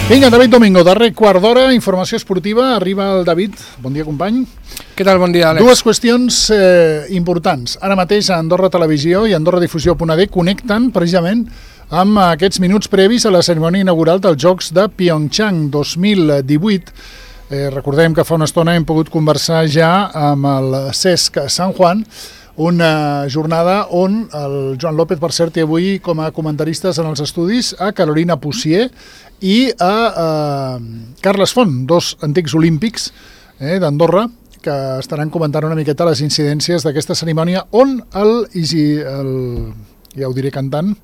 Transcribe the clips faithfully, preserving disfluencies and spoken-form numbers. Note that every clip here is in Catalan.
Vinga, David Domingo, darrer quart d'hora, informació esportiva, arriba el David. Bon dia, company. Què tal? Bon dia, Àlex. Dues qüestions eh, importants. Ara mateix a Andorra Televisió i Andorra Difusió punt a d connecten precisament amb aquests minuts previs a la cerimònia inaugural dels Jocs de Pyeongchang dos mil divuit. Eh, recordem que fa una estona hem pogut conversar ja amb el Cesc San Juan, una jornada on el Joan López, per cert, té avui com a comentaristes en els estudis a Carolina Pusier i a, a Carles Font, dos antics olímpics eh, d'Andorra, que estaran comentant una miqueta les incidències d'aquesta cerimònia on el, el ja ho diré cantant,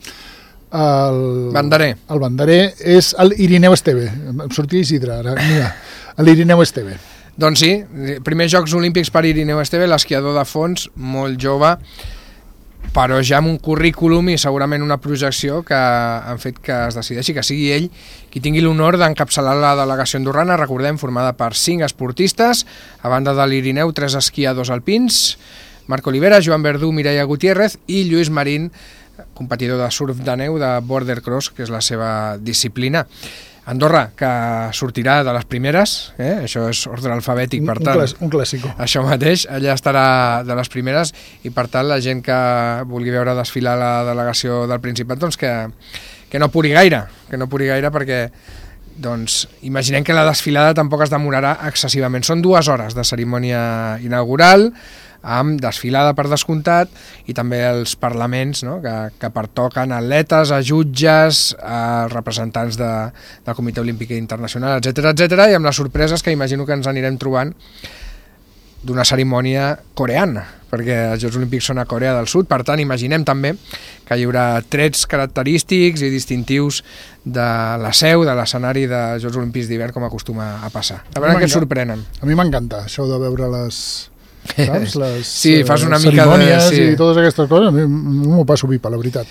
el banderer, el banderer és el Irineu Esteve. Em sortia Isidre ara, mira, l'Irineu Esteve. Doncs sí, primers Jocs Olímpics per Irineu Esteve, l'esquiador de fons, molt jove, però ja amb un currículum i segurament una projecció que han fet que es decideixi que sigui ell qui tingui l'honor d'encapçalar la delegació andorrana, recordem, formada per cinc esportistes, a banda de l'Irineu, tres esquiadors alpins, Marc Olivera, Joan Verdú, Mireia Gutiérrez i Lluís Marín, competidor de surf de neu de border cross, que és la seva disciplina. Andorra, que sortirà de les primeres, eh? Això és ordre alfabètic, per tant, un, un clàssico. Això mateix, allà estarà de les primeres i per tant la gent que vulgui veure desfilar la delegació del Principat, doncs que, que no puri gaire, que no puri gaire perquè doncs, imaginem que la desfilada tampoc es demorarà excessivament. Són dues hores de cerimònia inaugural, amb desfilada per descomptat i també els parlaments, no? que, que pertoquen a atletes, a jutges, a representants de, del Comitè Olímpic Internacional, etcètera, etcètera, i amb les sorpreses que imagino que ens anirem trobant d'una cerimònia coreana, perquè els Jocs Olímpics són a Corea del Sud, per tant imaginem també que hi haurà trets característics i distintius de la seu, de l'escenari dels Jocs Olímpics d'hivern, com acostuma a passar. A veure què sorprenen. A mi m'encanta això de veure les... saps? Les sí, fas una mica cerimònies de... Sí. I totes aquestes coses, a mi m'ho passo pipa, la veritat.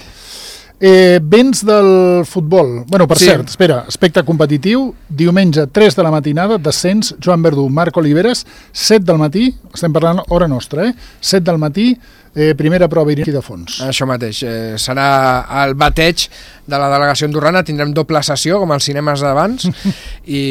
Eh, vents del futbol. Bueno, per sí. cert, espera, aspecte competitiu, diumenge tres de la matinada, descens, Joan Verdú, Marc Oliveres, set del matí, estem parlant hora nostra, eh? set del matí, eh, primera prova aquí de fons. Això mateix, eh, serà el bateig de la delegació andorrana, tindrem doble sessió, com als cinemes d'abans, i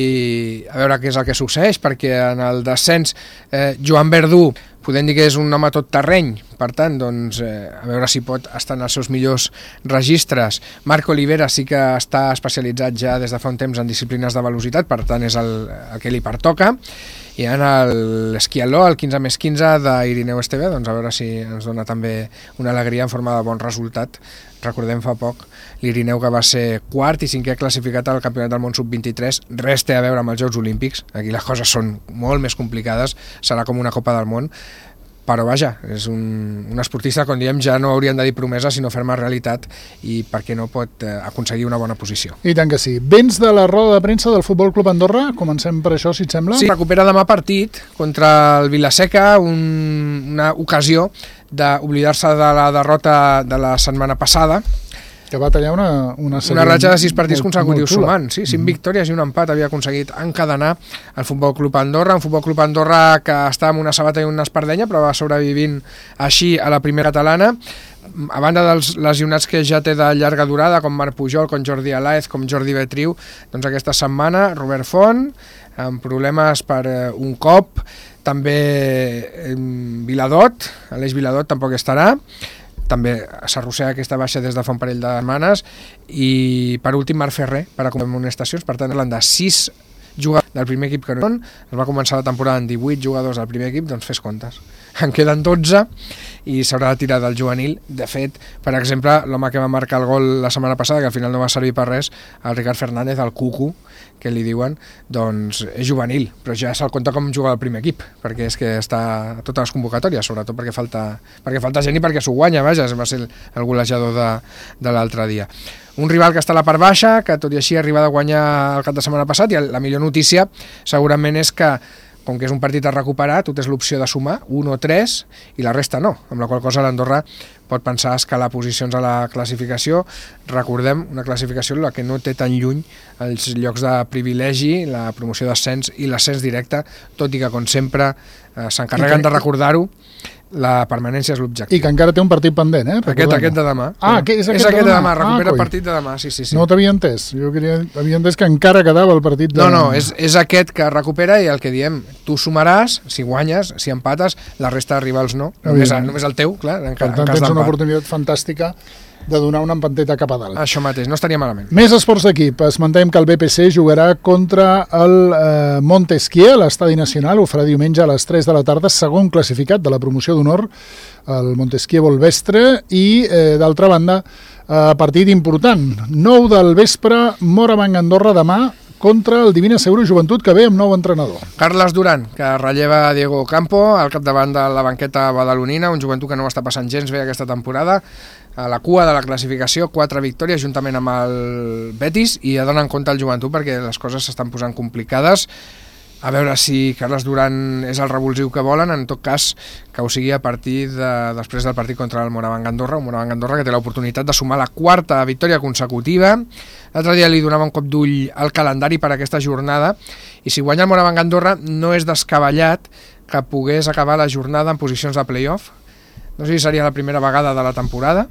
a veure què és el que succeeix, perquè en el descens eh, Joan Verdú, podem dir que és un home tot terreny, per tant, doncs, eh, a veure si pot estar en els seus millors registres. Marc Olivera sí que està especialitzat ja des de fa un temps en disciplines de velocitat, per tant és el, el que li pertoca, i en l'esquialó, el quinze més quinze d'Irineu Esteve, doncs a veure si ens dona també una alegria en forma de bon resultat. Recordem fa poc l'Irineu, que va ser quart i cinquè classificat al Campionat del Món sub vint-i-tres, res té a veure amb els Jocs Olímpics, aquí les coses són molt més complicades, serà com una Copa del Món, però vaja, és un, un esportista, com diem, ja no haurien de dir promesa, sinó fer-me realitat, i per què no pot eh, aconseguir una bona posició. I tant que sí. Vents de la roda de premsa del Futbol Club Andorra, comencem per això, si et sembla? Sí, recupera demà partit contra el Vilaseca, un, una ocasió d'oblidar-se de la derrota de la setmana passada, que va tallar una una, una ratxa de sis partits consecutius sumant, sí, cinc mm-hmm. victòries i un empat havia aconseguit encadenar el Futbol Club Andorra, un Futbol Club Andorra que està amb una sabata i una espardenya, però va sobrevivint així a la primera catalana, a banda dels lesionats que ja té de llarga durada, com Marc Pujol, com Jordi Alaez, com Jordi Betriu, doncs aquesta setmana Robert Font, amb problemes per eh, un cop, també eh, Viladot, Aleix Viladot tampoc estarà, també s'arrossega aquesta baixa des de fa un parell de setmanes, i per últim Marc Ferrer per a amonestacions, per tant parlant de sis jugadors del primer equip que no són, es va començar la temporada amb divuit jugadors del primer equip, doncs fes comptes, en queden dotze i s'haurà de tirar del juvenil. De fet, per exemple, l'home que va marcar el gol la setmana passada, que al final no va servir per res, el Ricard Fernández, el Cucu, que li diuen, doncs és juvenil, però ja se'l compta com jugar al primer equip, perquè és que està a totes les convocatòries, sobretot perquè falta, perquè falta gent i perquè s'ho guanya, vaja, va ser el, el golejador de, de l'altre dia. Un rival que està a la part baixa, que tot i així ha arribat a guanyar el cap de setmana passat, i la millor notícia segurament és que, com que és un partit a recuperar, tu tens l'opció de sumar un o tres i la resta no, amb la qual cosa l'Andorra pot pensar escalar posicions a la classificació. Recordem, una classificació en la que no té tan lluny els llocs de privilegi, la promoció d'ascens i l'ascens directe, tot i que, com sempre, eh, s'encarreguen de recordar-ho, La permanència és l'objectiu. I que encara té un partit pendent, eh? Aquest, aquest de demà. Ah, que és aquest, és aquest de demà, demà. recupera ah, el partit de demà, sí, sí. sí. No t'havia entès, jo queria, havia entès que encara quedava el partit de No, no, és, és aquest que recupera i el que diem, tu sumaràs, si guanyes, si empates, la resta de rivals no, només, només el teu, clar, en, per en tant, cas tens una d'empat. oportunitat fantàstica de donar una empanteta cap a dalt. Això mateix, no estaria malament. Més esports d'equip. Esmentem que el B P C jugarà contra el eh, Montesquieu a l'Estadi Nacional. Ho farà diumenge a les tres de la tarda, segon classificat de la promoció d'honor, el Montesquieu Volvestre, i, eh, d'altra banda, eh, partit important. nou del vespre, Morabanc Andorra demà, contra el Divina Seguro Joventut, que ve amb nou entrenador. Carles Duran, que relleva Diego Campo al capdavant de la banqueta badalonina, un joventut que no està passant gens bé aquesta temporada, a la cua de la classificació, quatre victòries juntament amb el Betis, i ha d'anar en compte el joventut perquè les coses s'estan posant complicades. A veure si Carles Duran és el revulsiu que volen, en tot cas que ho sigui a partir de, després del partit contra el Morabanc Andorra, un Morabanc Andorra que té l'oportunitat de sumar la quarta victòria consecutiva. L'altre dia li donava un cop d'ull al calendari per aquesta jornada, i si guanya el Morabanc Andorra no és descabellat que pogués acabar la jornada en posicions de play-off. No sé si seria la primera vegada de la temporada,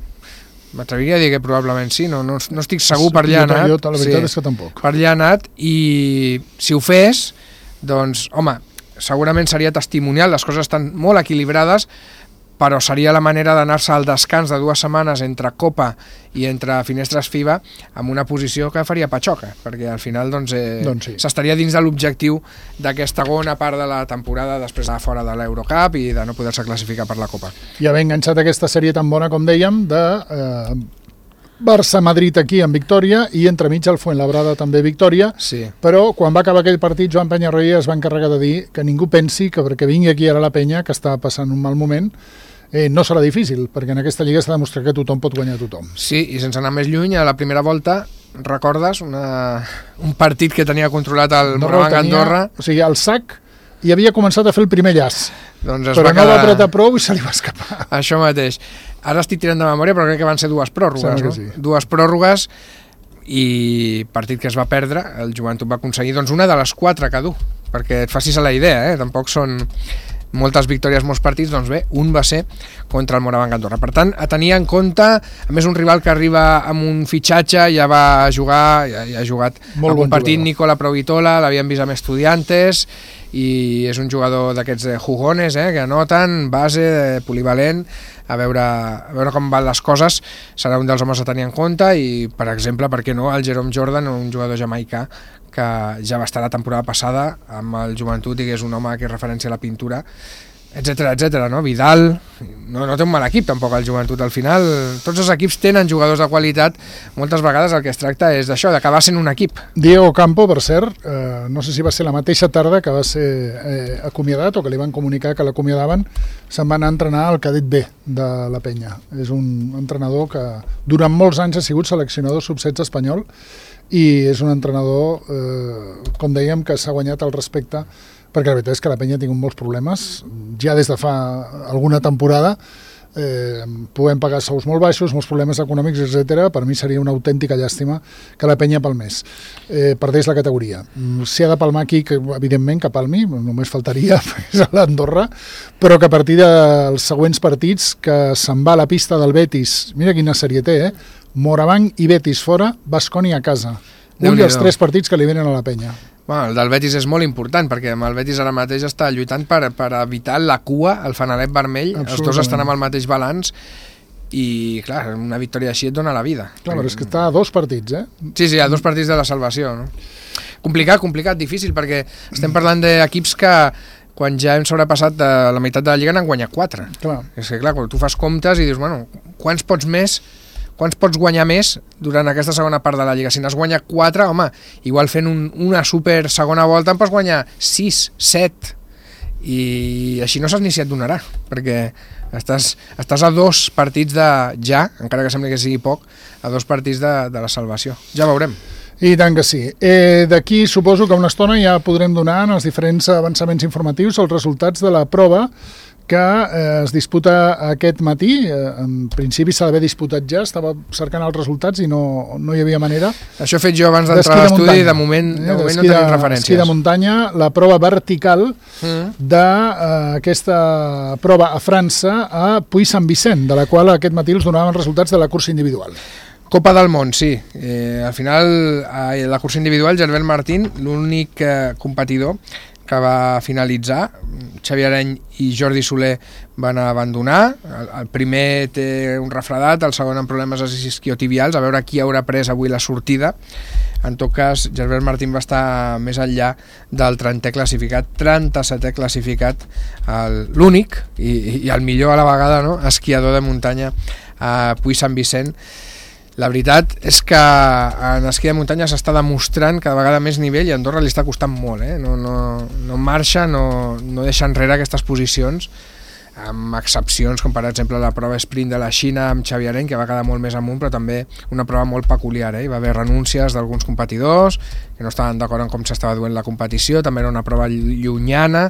m'atreviria a dir que probablement sí, no, no, no estic segur, per allà ha anat. Jo, la veritat sí, és que tampoc. Per allà ha anat, i si ho fes, doncs, home, segurament seria testimonial, les coses estan molt equilibrades, però seria la manera d'anar-se al descans de dues setmanes entre Copa i entre finestres FIBA amb una posició que faria patxoca, perquè al final doncs, eh, doncs sí. s'estaria dins de l'objectiu d'aquesta segona part de la temporada després de fora de l'Eurocup i de no poder-se classificar per la Copa. I haver enganxat aquesta sèrie tan bona, com dèiem, de eh, Barça-Madrid aquí en victòria i entremig el Fuenlabrada també victòria, sí. Però quan va acabar aquell partit Joan Penyarroia es va encarregar de dir que ningú pensi que perquè vingui aquí ara la penya, que està passant un mal moment, eh, no serà difícil, perquè en aquesta lliga s'ha demostrat que tothom pot guanyar a tothom. Sí, i sense anar més lluny, a la primera volta, recordes una, un partit que tenia controlat el Morabanc Andorra? O sigui, el Sac i havia començat a fer el primer llaç, doncs però va no quedar... va apretar prou i se li va escapar. Això mateix. Ara estic tirant de memòria, però crec que van ser dues pròrrogues, no? Sí. Dues pròrrogues i partit que es va perdre, el Joventut va aconseguir doncs, una de les quatre que du, perquè et facis a la idea, eh? Tampoc són moltes victòries, molts partits, doncs bé, un va ser contra el Morabanc Andorra. Per tant, a tenir en compte, a més un rival que arriba amb un fitxatge, ja va jugar, ja, ja ha jugat molt algun bon partit, jugador. Nicola Provitola, l'havien vist amb Estudiantes, i és un jugador d'aquests jugones, eh, que anoten, base, polivalent. A veure, a veure com van les coses, serà un dels homes a tenir en compte, i per exemple, per què no, el Jerome Jordan, un jugador jamaicà que ja va estar la temporada passada amb el Joventut i que és un home que és referència a la pintura, etcètera, etcètera, no? Vidal, no, no té un mal equip tampoc el Joventut, al final tots els equips tenen jugadors de qualitat, moltes vegades el que es tracta és d'això, d'acabar sent un equip. Diego Campo, per cert, eh, no sé si va ser la mateixa tarda que va ser eh, acomiadat o que li van comunicar que l'acomiadaven, se'n va anar a entrenar al cadet B de la penya. És un entrenador que durant molts anys ha sigut seleccionador sub setze espanyol i és un entrenador, eh, com dèiem, que s'ha guanyat el respecte, perquè la veritat és que la penya ha tingut molts problemes, ja des de fa alguna temporada, eh, podem pagar sous molt baixos, molts problemes econòmics, etcètera. Per mi seria una autèntica llàstima que la penya palmés, eh, perdés la categoria. Si ha de palmar aquí, que evidentment que palmi, només faltaria, és a l'Andorra, però que a partir dels següents partits, que se'n va a la pista del Betis, mira quina sèrie té, eh? Morabanc i Betis fora, Baskonia a casa. Un dels tres partits que li venen a la penya. Bueno, el del Betis és molt important, perquè amb el Betis ara mateix està lluitant per, per evitar la cua, el fanalet vermell, els dos estan amb el mateix balanç, i clar, una victòria així et dona la vida. Clar, però és que està a dos partits, eh? Sí, sí, a dos partits de la salvació, no? Complicat, complicat, difícil, perquè estem parlant d'equips que quan ja hem sobrepassat de la meitat de la Lliga n'han guanyat quatre. Clar. És que clar, quan tu fas comptes i dius, bueno, quants pots més quants pots guanyar més durant aquesta segona part de la Lliga? Si n'has guanyat quatre, home, igual fent un, una super segona volta en pots guanyar sis, set, i així no saps ni si et donarà, perquè estàs, estàs a dos partits de ja, encara que sembli que sigui poc, a dos partits de, de la salvació. Ja veurem. I tant que sí. Eh, D'aquí suposo que una estona ja podrem donar en els diferents avançaments informatius els resultats de la prova que eh, es disputa aquest matí. Eh, en principi s'ha d'haver disputat ja, estava cercant els resultats i no, no hi havia manera. Això he fet jo abans d'entrar a l'estudi, de moment, de moment no tenim referències. Esquí de muntanya, la prova vertical mm. d'aquesta eh, prova a França a Puy-Saint-Vicent, de la qual aquest matí els donaven resultats de la cursa individual. Copa del món, sí. Eh, al final, a la cursa individual, Gerbert Martín, l'únic eh, competidor que va finalitzar. Xavi Areny i Jordi Soler van abandonar. El, el primer té un refredat, el segon amb problemes isquiotibials, a veure qui haurà pres avui la sortida. En tot cas, Gerbert Martín va estar més enllà del trentè classificat, trenta-setè classificat, l'únic i, i el millor a la vegada, no?, esquiador de muntanya a Puy-Saint-Vicent. La veritat és que en esquí de muntanya s'està demostrant cada vegada més nivell i a Andorra li està costant molt, eh? no, no, no marxa, no, no deixa enrere aquestes posicions, amb excepcions com per exemple la prova sprint de la Xina amb Xavi Areny, que va quedar molt més amunt, però també una prova molt peculiar. Eh? Hi va haver renúncies d'alguns competidors que no estaven d'acord en com s'estava duent la competició, també era una prova llunyana,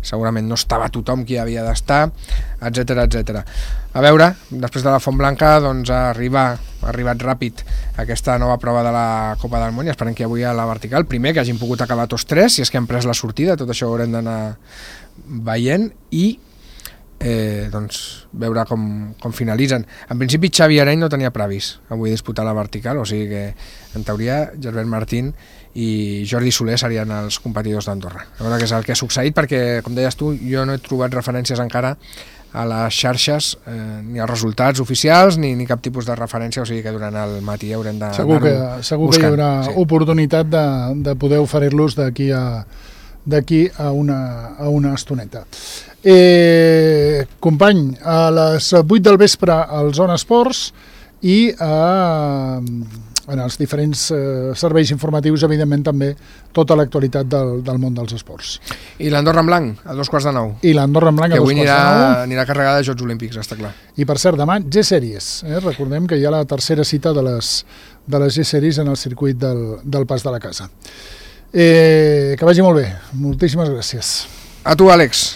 segurament no estava tothom qui havia d'estar, etcètera, etcètera. A veure, després de la Font Blanca, doncs arriba, ha arribat ràpid aquesta nova prova de la Copa del Món i esperem que avui a la vertical, primer que hagin pogut acabar tots tres, si és que han pres la sortida, tot això ho haurem d'anar veient i Eh, doncs veure com, com finalitzen. En principi Xavi Areny no tenia previst avui disputar la vertical, o sigui que en teoria Gerbert Martín i Jordi Soler serien els competidors d'Andorra. A veure què és el que ha succeït, perquè com deies tu, jo no he trobat referències encara a les xarxes, eh, ni als resultats oficials ni, ni cap tipus de referència, o sigui que durant el matí haurem de segur que, segur buscant. Que hi haurà sí. oportunitat de, de poder oferir-los d'aquí a d'aquí a una, a una estoneta. Eh, company, a les vuit del vespre al Zona Esports i a, en els diferents eh, serveis informatius, evidentment també tota l'actualitat del, del món dels esports. I l'Andorra en blanc, a dos quarts de nou. I l'Andorra en blanc a dos quarts de nou. Que avui anirà carregada de Jocs Olímpics, està clar. I per cert, demà G-Series. Eh? Recordem que hi ha la tercera cita de les, de les G-Series en el circuit del, del Pas de la Casa. Eh, que vagi molt bé. Moltíssimes gràcies. A tu, Àlex.